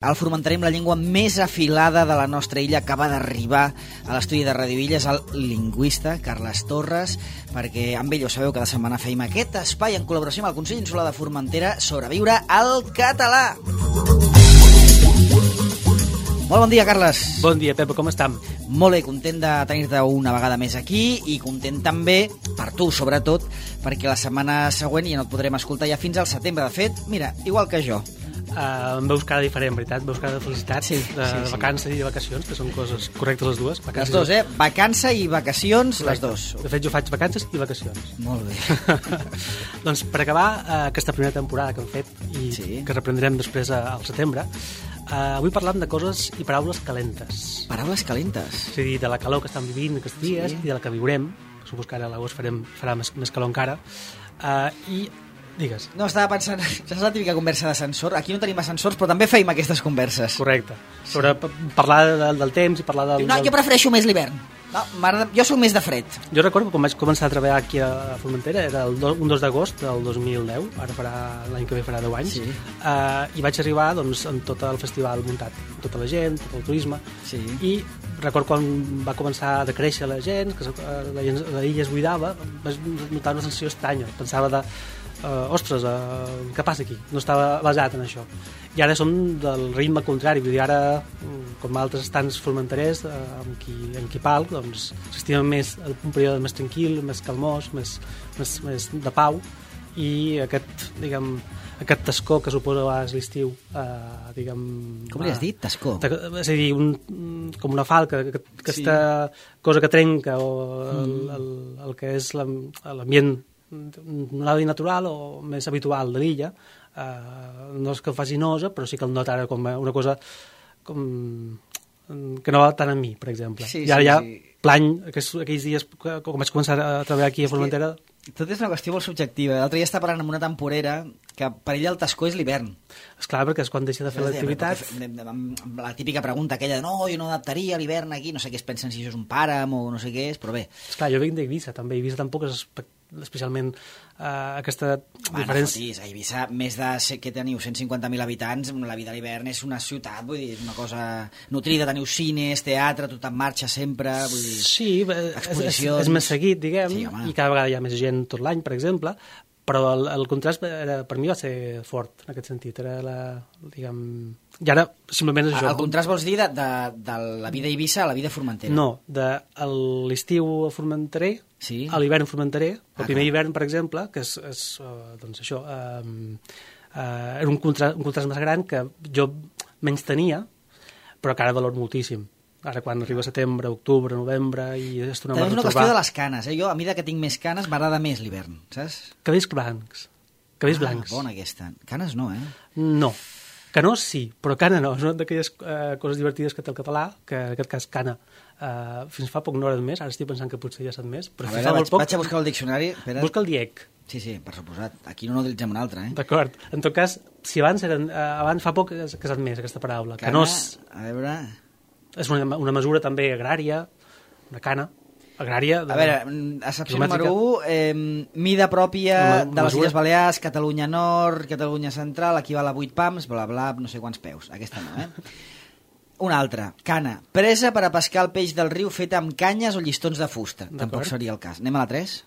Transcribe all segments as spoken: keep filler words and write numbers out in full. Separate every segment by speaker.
Speaker 1: El formenterer amb la llengua més afilada de la nostra illa acaba d'arribar a l'estudi de Ràdio Illa, és el lingüista Carles Torres, perquè amb ell ho sabeu, cada setmana feim aquest espai en col·laboració amb el Consell Insular de Formentera, Sobreviure al català. Molt bon dia, Carles.
Speaker 2: Bon dia, Pepa, com estem?
Speaker 1: Molt bé, content de tenir-te una vegada més aquí i content també, per tu sobretot, perquè la setmana següent ja no et podrem escoltar ja fins al setembre. De fet, mira, igual que jo.
Speaker 2: Uh, em veus cara diferent, veritat? Em veus cara de felicitat,
Speaker 1: sí,
Speaker 2: de,
Speaker 1: sí,
Speaker 2: de
Speaker 1: sí.
Speaker 2: vacances i de vacacions, que són coses correctes les dues.
Speaker 1: Les dues, eh? Vacança i vacacions,
Speaker 2: Correcte.
Speaker 1: Les dues.
Speaker 2: De fet, jo faig vacances i vacacions.
Speaker 1: Molt bé.
Speaker 2: Doncs per acabar uh, aquesta primera temporada que hem fet i
Speaker 1: Sí.
Speaker 2: que reprendrem després uh, al setembre, uh, avui parlam de coses i paraules calentes.
Speaker 1: Paraules calentes.
Speaker 2: És a dir, de la calor que estan vivint aquests dies
Speaker 1: Sí.
Speaker 2: i de la que viurem. Suposo que ara a l'agost farem, farà més, més calor encara. Uh, I digues.
Speaker 1: No, estava pensant, és la típica conversa d'ascensor. Aquí no tenim ascensors, però també feim aquestes converses.
Speaker 2: Correcte. Sobre p- parlar de, del temps i parlar del...
Speaker 1: No,
Speaker 2: del...
Speaker 1: jo prefereixo més l'hivern. No, m'agrada- jo sóc més de fred.
Speaker 2: Jo recordo que quan vaig començar a treballar aquí a Formentera, era el do, un dos d'agost del dos mil deu, ara farà l'any que ve farà deu anys,
Speaker 1: Sí.
Speaker 2: uh, i vaig arribar doncs, amb tot el festival muntat, amb tota la gent, tot el turisme,
Speaker 1: Sí.
Speaker 2: i recordo quan va començar a decréixer la gent, que uh, la, gent, la illa es buidava, vaig notar una sensació estranya, pensava de Uh, ostres, uh, què passa aquí? No estava basat en això. I ara som del ritme contrari, vull dir, ara, com altres estants formenterers, uh, amb, qui, amb qui palc, doncs s'estima més un període més tranquil, més calmós, més, més, més de pau, i aquest, diguem, aquest tascó que suposa a vegades l'estiu, uh, diguem...
Speaker 1: Com li has dit? Tascó?
Speaker 2: És a dir, un, com una falca, que, que
Speaker 1: Sí.
Speaker 2: aquesta cosa que trenca, o el,
Speaker 1: Mm.
Speaker 2: el, el que és l'am- l'ambient no natural o més habitual de l'illa, eh, no és que faci nosa, però sí que el nota ara com una cosa com, que no va tant a mi, per exemple.
Speaker 1: Sí,
Speaker 2: I ara
Speaker 1: sí,
Speaker 2: ja
Speaker 1: sí.
Speaker 2: plany, aquells, aquells dies que com vaig començar a treballar aquí a Formentera...
Speaker 1: Tot és una qüestió molt subjectiva. L'altre dia estava parlant amb una temporera que per ella el tascó és l'hivern.
Speaker 2: Esclar, perquè és quan deixa de fer l'activitat...
Speaker 1: La típica pregunta aquella de no, jo no adaptaria l'hivern aquí, no sé què es pensen si això és un pàram o no sé què és, però bé.
Speaker 2: Esclar, jo vinc d'Eivissa, també. Eivissa tampoc és espe- especialment eh, aquesta
Speaker 1: Home,
Speaker 2: diferència...
Speaker 1: no fotis, a Eivissa, més de, que teniu cent cinquanta mil habitants, la vida a l'hivern és una ciutat, vull dir, és una cosa nutrida, teniu cines, teatre, tot en marxa sempre, vull dir...
Speaker 2: Sí, eh, és, és,
Speaker 1: exposicions.
Speaker 2: és més seguit, diguem,
Speaker 1: Sí, home.
Speaker 2: i cada vegada hi ha més gent tot l'any, per exemple, però el, el contrast era, per mi va ser fort, en aquest sentit. Era la, diguem... I ara, simplement és això.
Speaker 1: El contrast vols dir de, de, de la vida a Eivissa a la vida a Formentera?
Speaker 2: No, de l'estiu a Formenterer,
Speaker 1: Sí.
Speaker 2: a l'hivern a Formenterer, el
Speaker 1: Ah,
Speaker 2: primer
Speaker 1: clar.
Speaker 2: hivern, per exemple, que és, és uh, doncs això, uh, uh, era un contrast, un contrast més gran que jo menys tenia, però que ara valoro moltíssim. Ara quan arriba setembre, octubre, novembre i es torna a
Speaker 1: També és una
Speaker 2: retrobar...
Speaker 1: qüestió de les canes, eh? Jo, a mesura que tinc més canes, m'agrada més l'hivern, saps?
Speaker 2: Cabells blancs. Cabells
Speaker 1: ah,
Speaker 2: blancs.
Speaker 1: bona aquesta. Canes no, eh?
Speaker 2: No. Canós sí, però cana no. És una d'aquelles uh, coses divertides que té el català, que en aquest cas cana. Uh, fins fa poc no era més, ara estic pensant que potser ja ha estat més, però
Speaker 1: A
Speaker 2: fins
Speaker 1: veure,
Speaker 2: fa
Speaker 1: vaig,
Speaker 2: molt poc...
Speaker 1: vaig a buscar el diccionari. Espera.
Speaker 2: Busca el diec.
Speaker 1: Sí, sí, per suposat. Aquí no n'utilitzem un altre, eh?
Speaker 2: D'acord. En tot cas, si abans eren... Uh, abans fa poc que ha estat més, aquesta paraula.
Speaker 1: Cana,
Speaker 2: Canós
Speaker 1: a veure...
Speaker 2: és una, una mesura també agrària, una cana agrària... De,
Speaker 1: A veure, excepció
Speaker 2: quilomètrica.
Speaker 1: número u, eh, mida pròpia
Speaker 2: Una
Speaker 1: de les
Speaker 2: mesura.
Speaker 1: Illes Balears, Catalunya Nord, Catalunya Central, equival a vuit pams, bla, bla, no sé quants peus. Aquesta no, eh? Una altra, cana, presa per a pescar el peix del riu feta amb canyes o llistons de fusta. Tampoc
Speaker 2: D'acord.
Speaker 1: seria el cas. Anem a la tres?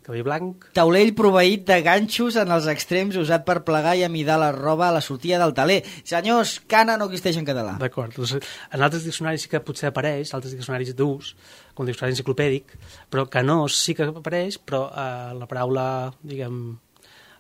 Speaker 2: Cabell blanc...
Speaker 1: Taulell proveït de ganxos en els extrems usat per plegar i amidar la roba a la sortida del taler. Senyors, cana no existeix en català.
Speaker 2: D'acord. Doncs, en altres diccionaris sí que potser apareix, altres diccionaris d'ús, com el diccionari enciclopèdic, però canós sí que apareix, però eh, la paraula, diguem...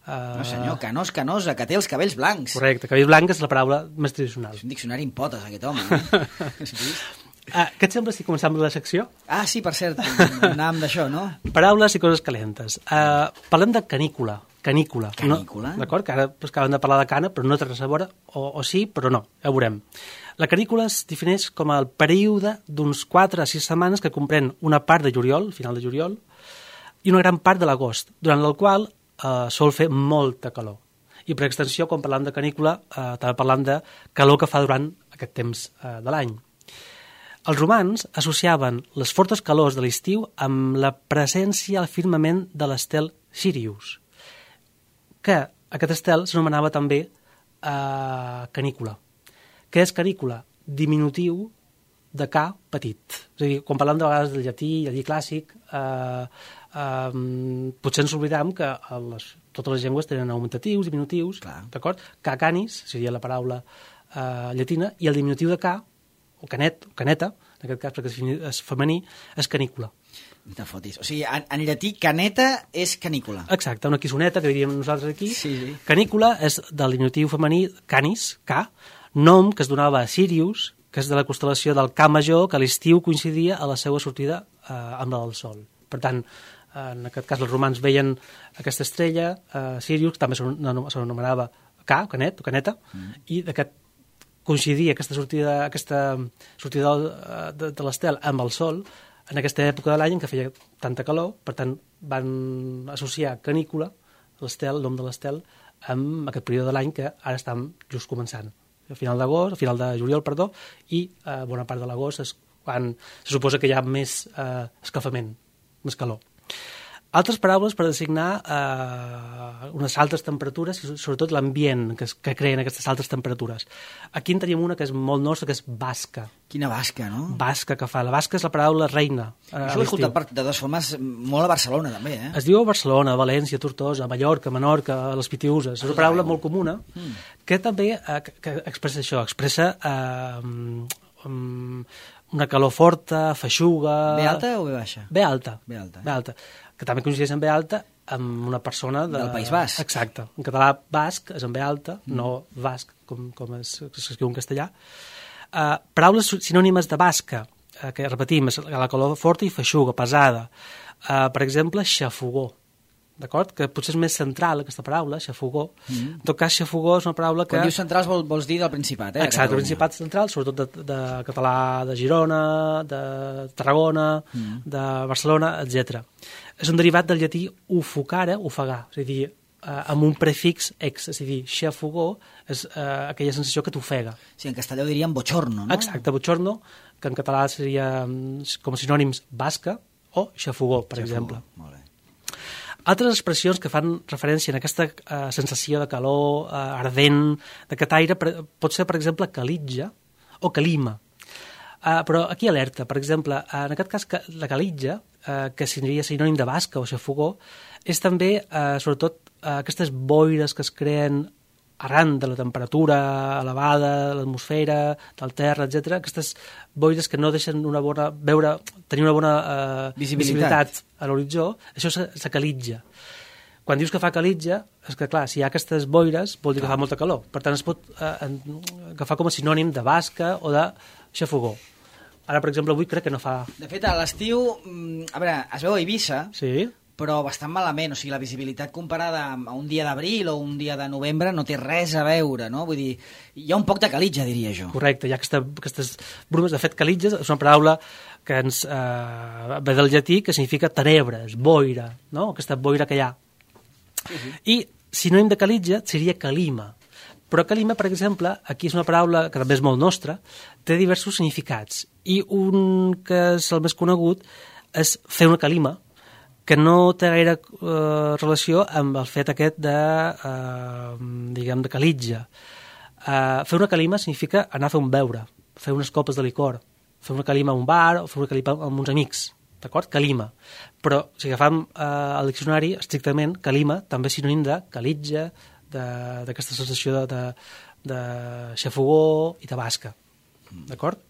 Speaker 2: Eh,
Speaker 1: No senyor, canós, canosa, que té els cabells blancs.
Speaker 2: Correcte, cabell blanc és la paraula més tradicional.
Speaker 1: És un diccionari en potes, aquest home. Eh? Has vist?
Speaker 2: Ah, què et sembla si començam amb la secció?
Speaker 1: Ah, sí, per cert, anàvem d'això, no?
Speaker 2: Paraules i coses calentes. Uh, parlem de canícula. Canícula.
Speaker 1: Canícula?
Speaker 2: No, d'acord, que ara pues, acabem de parlar de cana, però no té res a veure, o, o sí, però no, ja ho veurem. La canícula es defineix com el període d'uns quatre a sis setmanes que comprèn una part de juliol, final de juliol, i una gran part de l'agost, durant el qual eh, sol fer molta calor. I per extensió, quan parlam de canícula, eh, també parlam de calor que fa durant aquest temps eh, de l'any. Els romans associaven les fortes calors de l'estiu amb la presència al firmament de l'estel Sirius, que aquest estel s'anomenava també uh, canícula. Què és canícula? Diminutiu de ca petit. És a dir, quan parlem de vegades del llatí, llatí clàssic, eh, eh, potser ens oblidam que les, totes les llengües tenen augmentatius, diminutius, d'acord? Ca canis seria la paraula eh, llatina, i el diminutiu de ca, o canet, o caneta, en aquest cas perquè és femení, és canícula.
Speaker 1: Te fotis. O sigui, en, en llatí, caneta és canícula.
Speaker 2: Exacte, una quissoneta, que diríem nosaltres aquí.
Speaker 1: Sí, sí.
Speaker 2: Canícula és del diminutiu femení canis, ca, nom que es donava a Sirius, que és de la constel·lació del Ca Major, que a l'estiu coincidia a la seva sortida eh, amb la del Sol. Per tant, eh, en aquest cas els romans veien aquesta estrella, eh, Sirius, també s'anomenava Ca, canet, o caneta, mm. i d'aquest coincidia aquesta sortida, aquesta sortida de, de, de l'estel amb el Sol en aquesta època de l'any en què feia tanta calor, per tant van associar canícula, l'estel, el nom de l'estel, amb aquest període de l'any que ara estem just començant. A final d'agost, a final de juliol, perdó, i eh, bona part de l'agost és quan se suposa que hi ha més eh, escalfament, més calor. Altres paraules per designar eh, unes altes temperatures i sobretot l'ambient que, que creen aquestes altes temperatures. Aquí en tenim una que és molt nostra, que és basca.
Speaker 1: Quina basca, no?
Speaker 2: Basca que fa. La basca és la paraula reina. Eh,
Speaker 1: Això l'he escoltat per, de dues formes molt a Barcelona, també, eh?
Speaker 2: Es diu a Barcelona, a València, a Tortosa, a Mallorca, a Menorca, a les Pitiüses. És una paraula molt comuna mm. que també eh, que expressa això, expressa eh, um, una calor forta, feixuga...
Speaker 1: B alta o B baixa?
Speaker 2: B alta.
Speaker 1: B alta, eh?
Speaker 2: B alta. Que també coincideix en B alta amb una persona... De...
Speaker 1: Del País Basc.
Speaker 2: Exacte. En català basc és en B alta, mm. no basc, com, com s'escriu en castellà. Uh, paraules sinònimes de basca, uh, que repetim, és la calor forta i feixuga, pesada. Uh, per exemple, xafogó. D'acord? Que potser és més central, aquesta paraula, xafogó. Mm. En tot cas, xafogó és una paraula que...
Speaker 1: Quan dius centrals vol, vols dir del Principat, eh?
Speaker 2: Exacte, el Principat central, sobretot de, de català de Girona, de Tarragona, mm. de Barcelona, etcètera. És un derivat del llatí ufocare, ofegar, és a dir, eh, amb un prefix ex, és a dir, xafogó és eh, aquella sensació que t'ofega.
Speaker 1: Sí, en castellà ho diríem bochorno, no?
Speaker 2: Exacte, bochorno, que en català seria com a sinònims basca o xafogó, per xafogó. Exemple.
Speaker 1: Molt bé.
Speaker 2: Altres expressions que fan referència a aquesta eh, sensació de calor eh, ardent d'aquest aire per, pot ser, per exemple, calitja o calima. Uh, però aquí alerta, per exemple, en aquest cas la calitja, uh, que seria sinònim de basca o xafogó, és també, uh, sobretot, uh, aquestes boires que es creen arran de la temperatura elevada, de l'atmosfera, del terra, etcètera, aquestes boires que no deixen una bona, veure, tenir una bona uh, visibilitat. visibilitat a l'horitzó, això se, se calitja. Quan dius que fa calitja, és que, clar, si hi ha aquestes boires, vol dir que fa molta calor. Per tant, es pot uh, agafar com a sinònim de basca o de xafogó. Ara, per exemple, avui crec que no fa...
Speaker 1: De fet, a l'estiu, a veure, es veu a Eivissa,
Speaker 2: sí.
Speaker 1: però bastant malament. O sigui, la visibilitat comparada a un dia d'abril o un dia de novembre no té res a veure, no? Vull dir, hi ha un poc de calitja, diria jo.
Speaker 2: Correcte, hi ha aquesta, aquestes brumes. De fet, calitja és una paraula que ens eh, ve del llatí, que significa tenebres, boira, no? Aquesta boira que hi ha. Sí, sí. I sinònim de calitja seria calima. Però calima, per exemple, aquí és una paraula que també és molt nostra, té diversos significats. I un que és el més conegut és fer una calima, que no té gaire eh, relació amb el fet aquest de, eh, diguem, de calitja. Eh, fer una calima significa anar a fer un beure, fer unes copes de licor, fer una calima a un bar o fer una calima amb uns amics, d'acord? Calima. Però si agafam eh, el diccionari, estrictament, calima també és sinònim de calitja, d'aquesta sensació de, de, de xafogó i de basca. D'acord?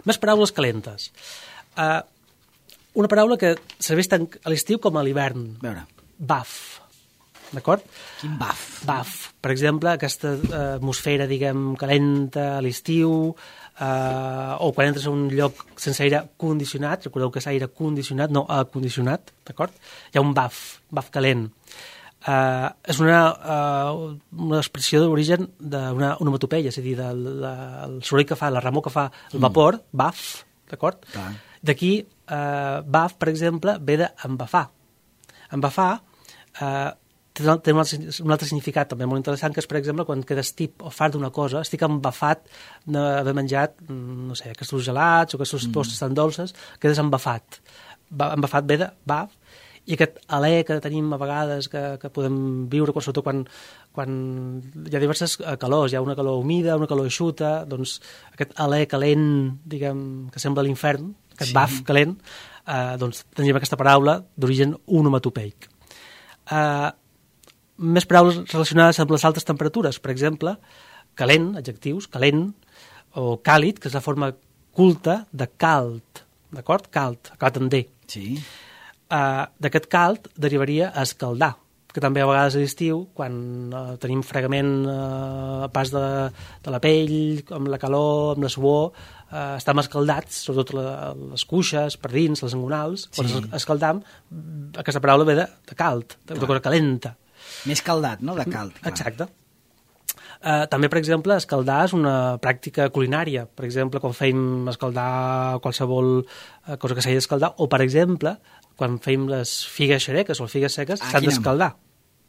Speaker 2: Més paraules calentes. Uh, una paraula que serveix tant a l'estiu com a l'hivern.
Speaker 1: A veure.
Speaker 2: Baf. D'acord?
Speaker 1: Quin baf?
Speaker 2: Baf. Per exemple, aquesta uh, atmosfera, diguem, calenta a l'estiu, uh, o quan entres a un lloc sense aire condicionat, recordeu que és aire condicionat, no acondicionat, d'acord? Hi ha un baf, baf calent. Uh, és una, uh, una expressió d'origen d'una onomatopeia, és a dir, del, del soroll que fa, la remor que fa el vapor, mm. baf, d'acord? D'aquí, uh, baf, per exemple, ve d'embafar. Embafar uh, té, té un, altre, un altre significat també molt interessant, que és, per exemple, quan quedes tip o fart d'una cosa, estic embafat d'haver menjat, no sé, aquests gelats o aquests mm. postres tan dolces, quedes embafat. Embafat ve de baf, i aquest alè que tenim a vegades, que, que podem viure, sobretot quan, quan hi ha diverses calors, hi ha una calor humida, una calor eixuta, doncs aquest alè calent, diguem, que sembla l'infern, aquest sí. baf calent, eh, doncs tenim aquesta paraula d'origen onomatopeic. Eh, més paraules relacionades amb les altes temperatures, per exemple, calent, adjectius, calent, o càlid, que és la forma culta de cald, d'acord? Cald, acabat en D.
Speaker 1: Sí.
Speaker 2: Uh, d'aquest cald derivaria a escaldar, que també a vegades a l'estiu, quan uh, tenim fregament uh, a pas de, de la pell, amb la calor, amb la suor, uh, estem escaldats, sobretot la, les cuixes, per dins, les engonals, sí. Quan escaldam, aquesta paraula ve de, de cald, de una cosa calenta.
Speaker 1: Més caldat, no?, de cald. Clar.
Speaker 2: Exacte. Uh, també, per exemple, escaldar és una pràctica culinària. Per exemple, quan fèiem escaldar qualsevol uh, cosa que s'hagi d'escaldar, o, per exemple, quan fèiem les figues xereques o les figues seques, ah, s'han d'escaldar.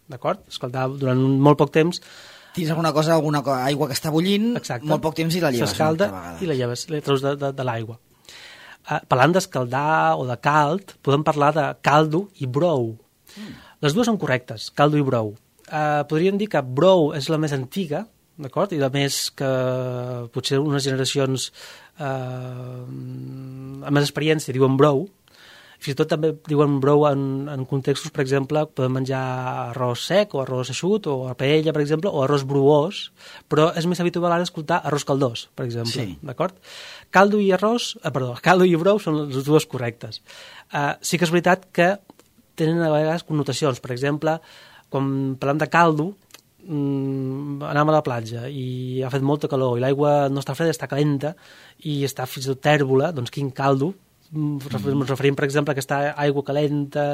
Speaker 2: D'acord? Escaldar durant molt poc temps.
Speaker 1: Tens alguna cosa, alguna cosa, aigua que està bullint, exacte. Molt poc temps i la lleves.
Speaker 2: S'escalda i la lleves, la treus de, de, de l'aigua. Uh, parlant d'escaldar o de cald, podem parlar de caldo i brou. Mm. Les dues són correctes, caldo i brou. Uh, podríem dir que brou és la més antiga, d'acord? I la més que potser unes generacions uh, amb més experiència diuen brou. Fins i tot també diuen brou en, en contextos, per exemple, podem menjar arròs sec o arròs eixut o a paella, per exemple, o arròs bruós, però és més habitual ara escoltar arròs caldós, per exemple, sí. D'acord? Caldo i arròs, eh, perdó, caldo i brou són les dues correctes. Uh, sí que és veritat que tenen a vegades connotacions. Per exemple, quan parlem de caldo, mmm, anem a la platja i ha fet molta calor i l'aigua no està freda, està calenta i està fins i tot tèrbola, doncs quin caldo? Ens mm. referim, per exemple, a aquesta aigua calenta,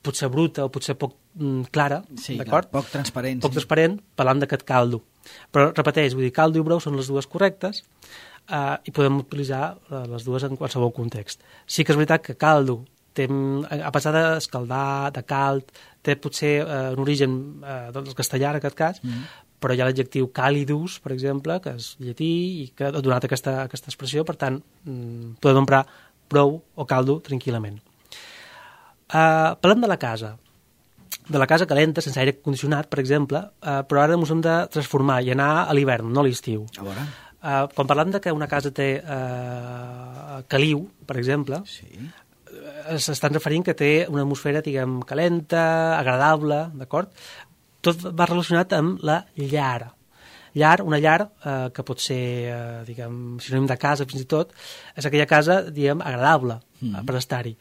Speaker 2: potser bruta o potser poc mm, clara,
Speaker 1: sí,
Speaker 2: d'acord?
Speaker 1: Clar, poc transparent.
Speaker 2: Poc
Speaker 1: sí.
Speaker 2: transparent, parlant d'aquest caldo. Però, repeteix, vull dir, caldo i brou són les dues correctes eh, i podem utilitzar les dues en qualsevol context. Sí que és veritat que caldo té, a pesar d'escaldar, de cald, té potser eh, un origen eh, del castellà, en aquest cas, mm. però hi ha l'adjectiu calidus, per exemple, que és llatí i que ha donat aquesta, aquesta expressió, per tant, mm, podem emprar brou o caldo tranquil·lament. Uh, parlem de la casa, de la casa calenta, sense aire condicionat, per exemple, uh, però ara ens hem de transformar i anar a l'hivern, no a l'estiu.
Speaker 1: A veure.
Speaker 2: Uh, quan parlem de que una casa té uh, caliu, per exemple,
Speaker 1: sí.
Speaker 2: s'estan referint que té una atmosfera, diguem, calenta, agradable, d'acord? Tot va relacionat amb la llar. Llar, una llar eh, que pot ser, eh, diguem, sinònim de casa fins i tot, és aquella casa, diguem, agradable mm. eh, per estar-hi.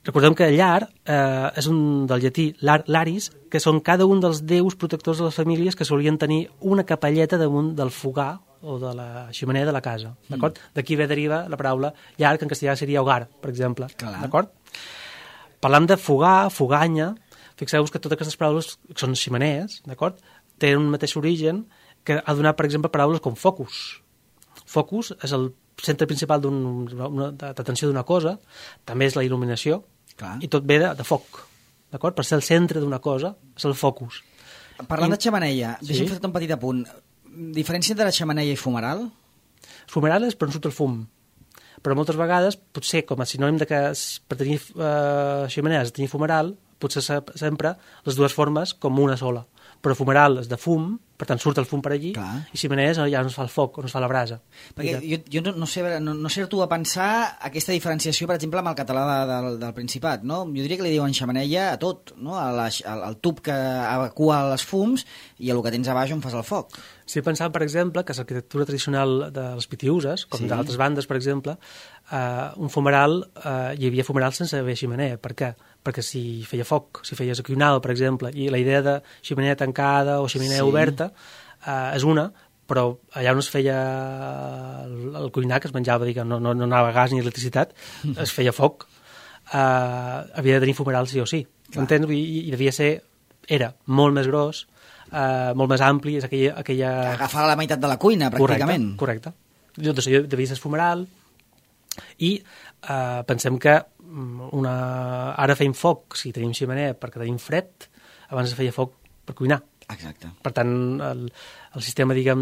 Speaker 2: Recordem que llar eh, és un del llatí lar, laris, que són cada un dels déus protectors de les famílies que solien tenir una capelleta damunt del fogar o de la xemeneia de la casa, d'acord? Mm. D'aquí ve deriva la paraula llar, que en castellà seria hogar, per exemple, d'acord? Parlant de fogar, foganya, fixeu-vos que totes aquestes paraules són xemeneies, d'acord? Tenen un mateix origen que ha donat, per exemple, paraules com focus. Focus és el centre principal d'atenció d'una cosa, també és la il·luminació, clar. I tot ve de, de foc, d'acord? Per ser el centre d'una cosa, és el focus.
Speaker 1: Parlant
Speaker 2: I...
Speaker 1: de xemeneia, sí? Deixa'm fer un petit apunt. Diferència entre la xemeneia i fumeral?
Speaker 2: Fumeral és per on surt el fum, però moltes vegades, potser com a sinònim de que per tenir eh, xemeneia has de tenir fumeral, potser sempre les dues formes com una sola. Però fumeral és de fum, per tant surt el fum per allí, clar. I xemeneies ja no es fa el foc, no es fa la brasa.
Speaker 1: Perquè jo, jo no, no sé, no, no sé tu a pensar aquesta diferenciació, per exemple, amb el català de, del, del Principat, no? Jo diria que li diuen xemeneia a tot, no? A la, al, al tub que evacua els fums i a lo que tens a baix on fas el foc.
Speaker 2: Sí, pensant, per exemple, que és l'arquitectura tradicional de les pitiüses, com sí. D'altres bandes, per exemple, eh, un fumeral, eh, hi havia fumeral sense haver xemeneia. Per què? Perquè si feia foc, si feies quinal, per exemple, i la idea de xemeneia tancada o xemeneia sí. Oberta eh, és una, però allà on es feia el, el cuinar, que es menjava, diguem, no, no, no anava gas ni electricitat, es feia foc, eh, havia de tenir fumeral sí o sí. Entens? I, I devia ser, era molt més gros, eh, molt més ampli, és aquella... aquella...
Speaker 1: Que agafava la meitat de la cuina, pràcticament.
Speaker 2: Correcte, correcte. Doncs devia ser fumeral, i eh, pensem que una... ara feim foc si tenim xemeneia perquè tenim fred, abans es feia foc per cuinar.
Speaker 1: Exacte.
Speaker 2: Per tant, el, el sistema, diguem,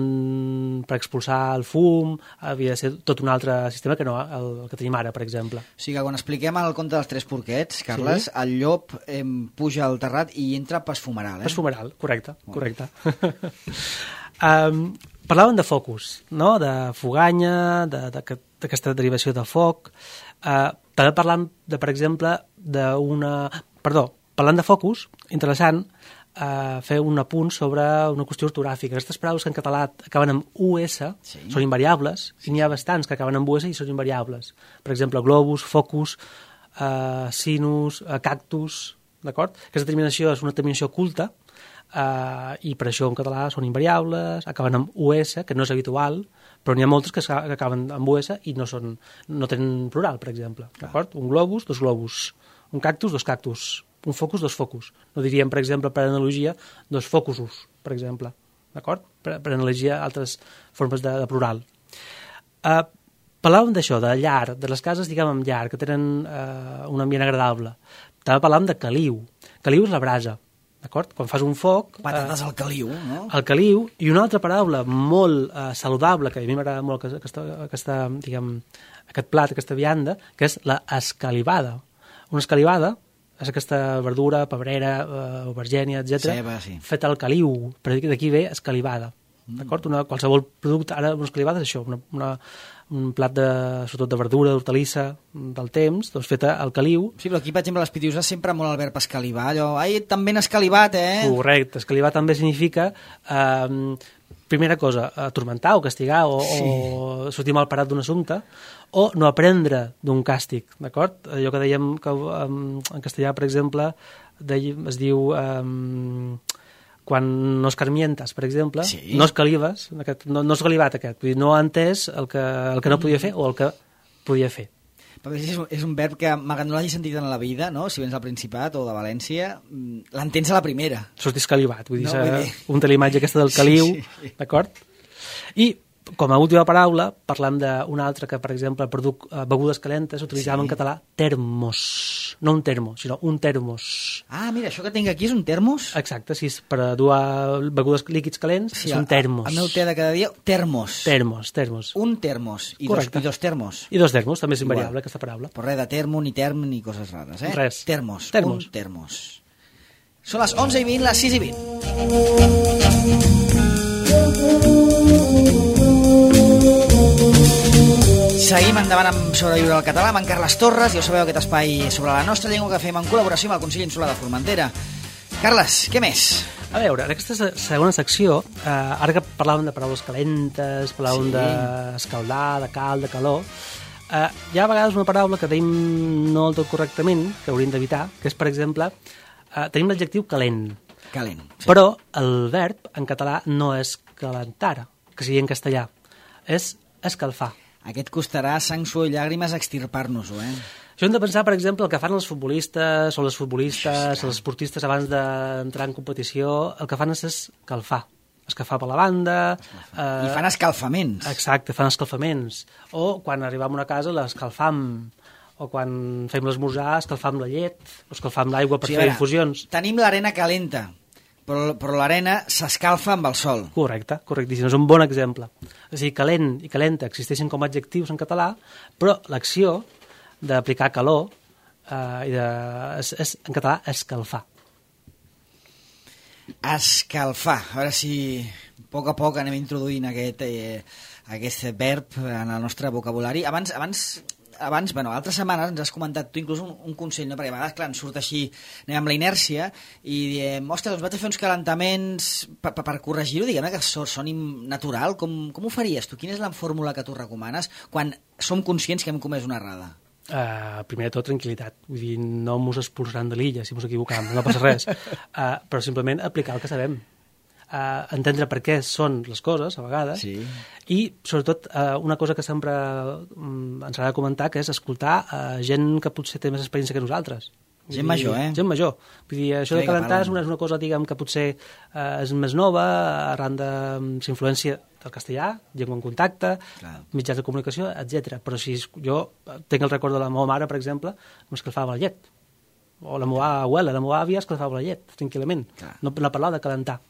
Speaker 2: per expulsar el fum havia de ser tot un altre sistema que no el, el que tenim ara, per exemple.
Speaker 1: O sigui que quan expliquem el conte dels tres porquets, Carles, sí. el llop eh, puja al terrat i entra pas fumeral, eh?
Speaker 2: Pas fumeral, correcte, oh. correcte. um, parlàvem de focus, no?, de foganya, d'aquesta de, de, derivació de foc. Uh, també parlant, de, per exemple, d'una... Perdó, parlant de focus, interessant, Uh, fer un apunt sobre una qüestió ortogràfica. Aquestes paraules que en català acaben amb U S sí. són invariables, sí. i n'hi ha bastants que acaben amb U S i són invariables. Per exemple, globus, focus, uh, sinus, uh, cactus, d'acord? Aquesta terminació és una terminació oculta uh, i per això en català són invariables, acaben amb U S, que no és habitual, però n'hi ha moltes que, que acaben amb U S i no, són, no tenen plural, per exemple. D'acord? Un globus, dos globus. Un cactus, dos cactus. Un focus, dos focus. No diríem, per exemple, per analogia, dos focusos, per exemple. D'acord? Per, per analogia altres formes de, de plural. Uh, parlàvem d'això, de llar, de les cases, diguem, amb llar, que tenen uh, un ambient agradable. També parlàvem de caliu. Caliu és la brasa, d'acord? Quan fas un foc...
Speaker 1: Patates uh, al caliu, no?
Speaker 2: Al caliu, i una altra paraula molt uh, saludable, que a mi m'agrada molt aquesta, aquesta, diguem, aquest plat, aquesta vianda, que és la escalivada. Una escalivada és aquesta verdura, pebrera, eh, aubergènia, etcètera,
Speaker 1: Ceba, sí.
Speaker 2: feta al caliu, però d'aquí ve escalivada. Mm. D'acord? Una, qualsevol producte, ara una escalivada és això, una, una, un plat de, sobretot de verdura, d'hortalissa, del temps, doncs feta al caliu.
Speaker 1: Sí, però aquí, per exemple, a les Pitiuses sempre molt el verb escalivar, allò, ai, també n'ha escalivat, eh?
Speaker 2: Correcte, escalivar també significa... Eh, primera cosa, atormentar o castigar o, sí. o sortir mal parat d'un assumpte o no aprendre d'un càstig, d'acord? Allò que dèiem que um, en castellà, per exemple, dèiem, es diu um, quan no escarmientes, per exemple, sí. no escalives, aquest, no, no escalivat aquest, vull dir, no ha entès el que, el que no podia fer o el que podia fer.
Speaker 1: Perquè és, és un verb que, malgrat no l'hagi sentit en la vida, no? Si vens del Principat o de València, l'entens a la primera.
Speaker 2: Sortir escalivat, vull dir, no, vull dir... un té la imatge aquesta del caliu, sí, sí. d'acord? I com a última paraula, parlant d'una altra que, per exemple, produc uh, begudes calentes, utilitzàvem sí. en català termos. No un termo, sinó un termos.
Speaker 1: Ah, mira, això que tinc aquí és un termos?
Speaker 2: Exacte, sí, per a dur begudes líquids calents sí, és un termos.
Speaker 1: El meu te de cada dia, termos.
Speaker 2: Termos, termos.
Speaker 1: Un termos. I, dos, i dos termos.
Speaker 2: I dos termos, també és invariable aquesta paraula.
Speaker 1: Però res de termo, ni term, ni coses rares, eh?
Speaker 2: Res.
Speaker 1: Termos.
Speaker 2: Termos.
Speaker 1: Un termos. Són les onze i vint, les sis i vint. Seguim endavant amb Sobreviure al català amb en Carles Torres. Ja ho sabeu, aquest espai sobre la nostra llengua que fem en col·laboració amb el Consell Insular de Formentera. Carles, què més?
Speaker 2: A veure, en aquesta segona secció, eh, ara que parlàvem de paraules calentes, parlàvem sí. d'escaldar, de cal, de calor, eh, hi ha a vegades una paraula que tenim no del tot correctament, que hauríem d'evitar, que és, per exemple, eh, tenim l'adjectiu calent.
Speaker 1: Calent. Sí.
Speaker 2: Però el verb en català no és calentar, que sigui en castellà, és escalfar.
Speaker 1: Aquest costarà sang, suor i llàgrimes extirpar-nos-ho, eh?
Speaker 2: Això hem de pensar, per exemple, el que fan els futbolistes o les futbolistes, els esportistes abans d'entrar en competició, el que fan és escalfar. Escalfar per la banda...
Speaker 1: Eh... I fan escalfaments.
Speaker 2: Exacte, fan escalfaments. O quan arribam a una casa l'escalfam. O quan fem l'esmorzar escalfam la llet, o escalfam l'aigua per sí, fer infusions.
Speaker 1: Tenim l'arena calenta, però, però l'arena s'escalfa amb el sol.
Speaker 2: Correcte, correctíssim, és un bon exemple. És a dir, calent i calenta existeixen com a adjectius en català, però l'acció d'aplicar calor eh, i de, és, és, en català, escalfar.
Speaker 1: Escalfar. A veure si a poc a poc anem introduint aquest, eh, aquest verb en el nostre vocabulari. Abans... abans Abans, bueno, altres setmanes ens has comentat tu inclús un, un consell, no? Perquè a vegades, clar, ens surt així, anem amb la inèrcia i diem, ostres, doncs vaig a fer uns calentaments per, per, per corregir-ho, diguem que soni natural. Com, com ho faries tu? Quina és la fórmula que tu recomanes quan som conscients que hem comès una errada?
Speaker 2: Uh, primer de tot, tranquil·litat. Vull dir, no mos expulsaran de l'illa si mos equivocam, no passa res. Uh, però simplement aplicar el que sabem. Uh, entendre per què són les coses, a vegades,
Speaker 1: sí.
Speaker 2: I, sobretot, uh, una cosa que sempre um, ens agrada comentar, que és escoltar uh, gent que potser té més experiència que nosaltres.
Speaker 1: Vull gent dir, major, eh?
Speaker 2: Gent major. Vull dir, això de calentar és una, és una cosa, diguem, que potser uh, és més nova, arran de l'influència del castellà, llengua en contacte, clar. Mitjans de comunicació, etcètera. Però si jo tinc el record de la meva mare, per exemple, que m'escalfava la llet. O la meva abuela, la meva àvia escalfava la llet, tranquil·lament. Clar. No, no parlava de calentar.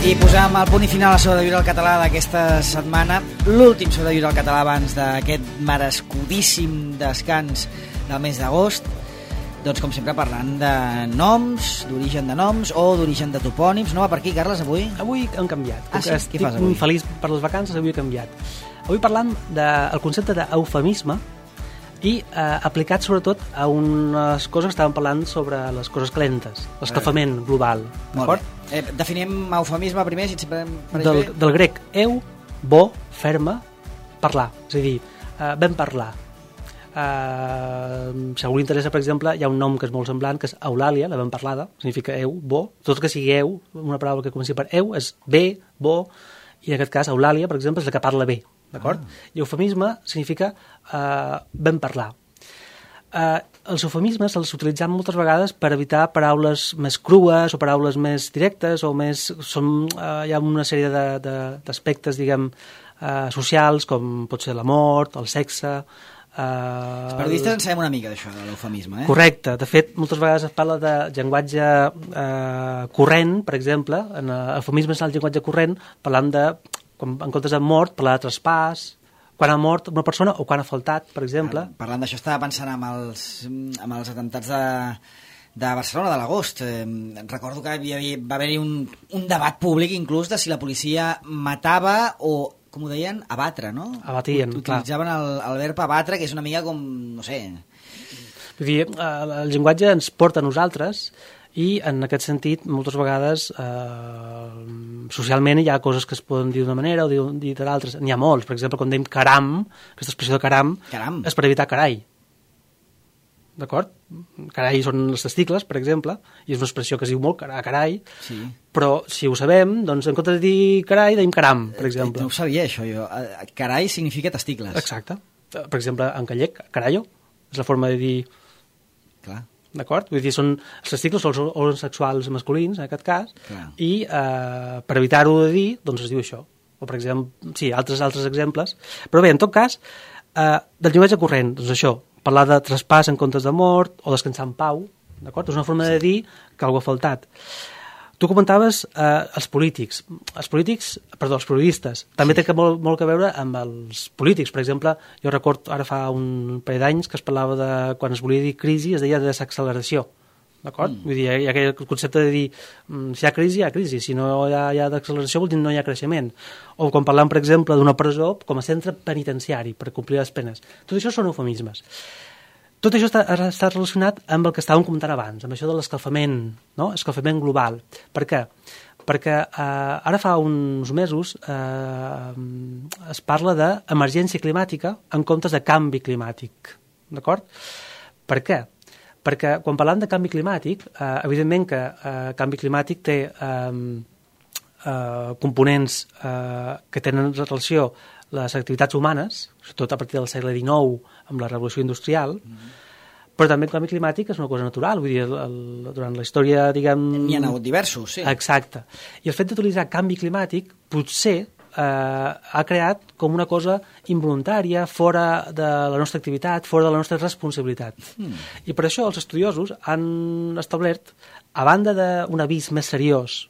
Speaker 1: I posem el punt i final a So de Viure al Català d'aquesta setmana, l'últim So de Viure al Català abans d'aquest merescudíssim descans del mes d'agost, doncs com sempre parlant de noms, d'origen de noms o d'origen de topònims. No va per aquí, Carles, avui?
Speaker 2: Avui hem canviat.
Speaker 1: Ah, sí?
Speaker 2: Estic
Speaker 1: Què fas avui?
Speaker 2: feliç per les vacances, avui he canviat. Avui parlam del concepte d'eufemisme i eh, aplicat sobretot a unes coses que estàvem parlant sobre les coses calentes, l'escalfament global.
Speaker 1: Molt bé. Eh, definim eufemisme primer, si et sempre pareix
Speaker 2: Del,
Speaker 1: bé.
Speaker 2: del grec eu, bo, ferma, parlar. És a dir, eh, vam parlar. Uh, si a algú li interessa, per exemple, hi ha un nom que és molt semblant, que és Eulàlia, la ben parlada, significa eu, bo, tot que sigui eu, una paraula que comenci per eu, és bé, bo, i en aquest cas Eulàlia, per exemple, és la que parla bé, d'acord? Ah. I eufemisme significa uh, ben parlar. Uh, els eufemismes els utilitzem moltes vegades per evitar paraules més crues o paraules més directes o més... Són, uh, hi ha una sèrie de, de, d'aspectes, diguem, uh, socials, com pot ser la mort, el sexe... Uh,
Speaker 1: Els periodistes en sabem una mica d'això, de l'eufemisme, eh?
Speaker 2: Correcte. De fet, moltes vegades es parla de llenguatge uh, corrent, per exemple. En uh, eufemisme és el llenguatge corrent, parlant de, quan, en comptes de mort, parlar de traspàs, quan ha mort una persona o quan ha faltat, per exemple.
Speaker 1: Ah, parlant d'això, estava pensant amb els, amb els atemptats de, de Barcelona, de l'agost. Eh, recordo que hi havia, va haver-hi un, un debat públic inclús de si la policia matava o, com ho deien, abatre, no?
Speaker 2: Abatien,
Speaker 1: Utilitzaven el, el verb abatre, que és una mica com, no sé...
Speaker 2: Vull dir, el llenguatge ens porta a nosaltres i en aquest sentit moltes vegades eh, socialment hi ha coses que es poden dir d'una manera o dir, dir de l'altra. N'hi ha molts, per exemple, quan dèiem caram, aquesta expressió de caram,
Speaker 1: Caram.
Speaker 2: és per evitar carai. D'acord? Carai són els testicles, per exemple, i és una expressió que es diu molt carai,
Speaker 1: Sí.
Speaker 2: però si ho sabem, doncs en comptes de dir carai, deim caram, per exemple.
Speaker 1: No ho sabia, això, jo. Carai significa testicles.
Speaker 2: Exacte. Per exemple, en gallec, carallo, és la forma de dir...
Speaker 1: Clar.
Speaker 2: D'acord? Vull dir, són els testicles o els òrgans sexuals masculins, en aquest cas,
Speaker 1: Clar.
Speaker 2: i eh, per evitar-ho de dir, doncs es diu això. O, per exemple, sí, altres altres exemples. Però bé, en tot cas, eh, del llenguatge corrent, doncs això, parlar de traspàs en comptes de mort o descansar en pau, d'acord? És una forma de dir que algú ha faltat. Tu comentaves eh, els polítics. Els polítics, perdó, els periodistes. També té que molt, molt que veure amb els polítics. Per exemple, jo recordo ara fa un parell d'anys que es parlava de, quan es volia dir crisi, es deia desacceleració. D'acord? Mm. Vull dir, hi ha aquell concepte de dir si hi ha crisi, hi ha crisi. Si no hi ha, hi ha d'acceleració, vol dir no hi ha creixement. O quan parlem, per exemple, d'una presó com a centre penitenciari per complir les penes. Tot això són eufemismes. Tot això està, està relacionat amb el que estàvem comentant abans, amb això de l'escalfament, no? Escalfament global. Per què? Perquè eh, ara fa uns mesos eh, es parla d'emergència climàtica en comptes de canvi climàtic. D'acord? Per què? Perquè quan parlem de canvi climàtic, eh, evidentment que eh, canvi climàtic té eh, eh, components eh, que tenen relació les activitats humanes, sobretot a partir del segle dinou, amb la revolució industrial, mm-hmm. però també el canvi climàtic és una cosa natural. Vull dir, el, el, durant la història, diguem...
Speaker 1: N'hi ha hagut diversos, sí.
Speaker 2: Exacte. I el fet d'utilitzar canvi climàtic potser eh, ha creat com una cosa involuntària, fora de la nostra activitat, fora de la nostra responsabilitat. Mm. I per això els estudiosos han establert, a banda d'un avís més seriós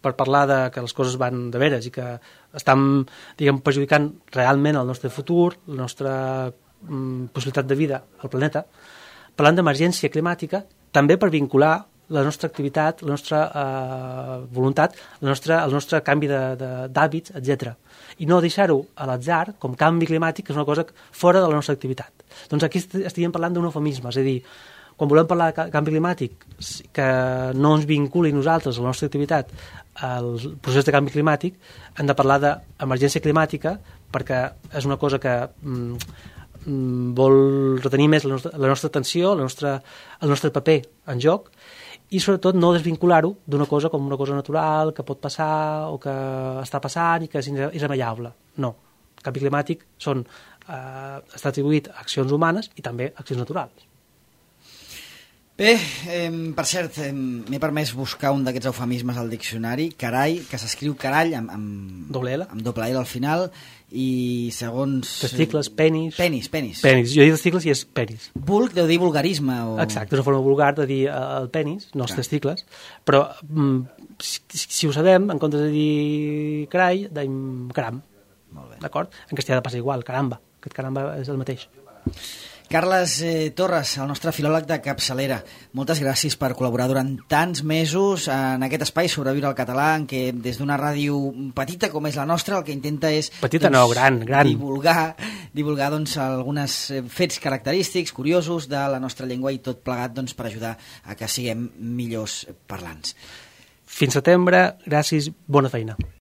Speaker 2: per parlar de que les coses van de veres i que estan, diguem, perjudicant realment el nostre futur, la nostra mm, possibilitat de vida al planeta, parlant d'emergència climàtica, també per vincular la nostra activitat, la nostra eh, voluntat, la nostra, el nostre canvi d'hàbits, etcètera. I no deixar-ho a l'atzar, com canvi climàtic, que és una cosa fora de la nostra activitat. Doncs aquí estaríem parlant d'un eufemisme, és a dir, quan volem parlar de canvi climàtic, que no ens vinculi nosaltres a la nostra activitat al procés de canvi climàtic, hem de parlar d'emergència climàtica perquè és una cosa que mm, vol retenir més la nostra, la nostra atenció, la nostra, el nostre paper en joc i sobretot no desvincular-ho d'una cosa com una cosa natural que pot passar o que està passant i que és irremeiable. No. El canvi climàtic són, eh, està atribuït a accions humanes i també a accions naturals.
Speaker 1: Bé, eh, per cert, eh, m'he permès buscar un d'aquests eufemismes al diccionari, carai, que s'escriu carall amb, amb,
Speaker 2: doble L.
Speaker 1: amb doble L al final, i segons...
Speaker 2: Testicles, penis...
Speaker 1: Penis, penis.
Speaker 2: Penis, jo he dit testicles i és penis.
Speaker 1: Vulg deu dir vulgarisme. O...
Speaker 2: Exacte, és una forma vulgar de dir el penis, no els Clar. testicles, però mm, si, si ho sabem, en comptes de dir carai, deim caram.
Speaker 1: Molt bé.
Speaker 2: D'acord? En castellà passa igual, caramba. Aquest caramba és el mateix.
Speaker 1: Carles eh, Torres, el nostre filòleg de capçalera, moltes gràcies per col·laborar durant tants mesos en aquest espai Sobreviure al català, en què des d'una ràdio petita com és la nostra el que intenta és
Speaker 2: petita
Speaker 1: doncs,
Speaker 2: no, gran, gran.
Speaker 1: divulgar, divulgar doncs, alguns fets característics, curiosos de la nostra llengua i tot plegat doncs, per ajudar a que siguem millors parlants.
Speaker 2: Fins setembre, gràcies, bona feina.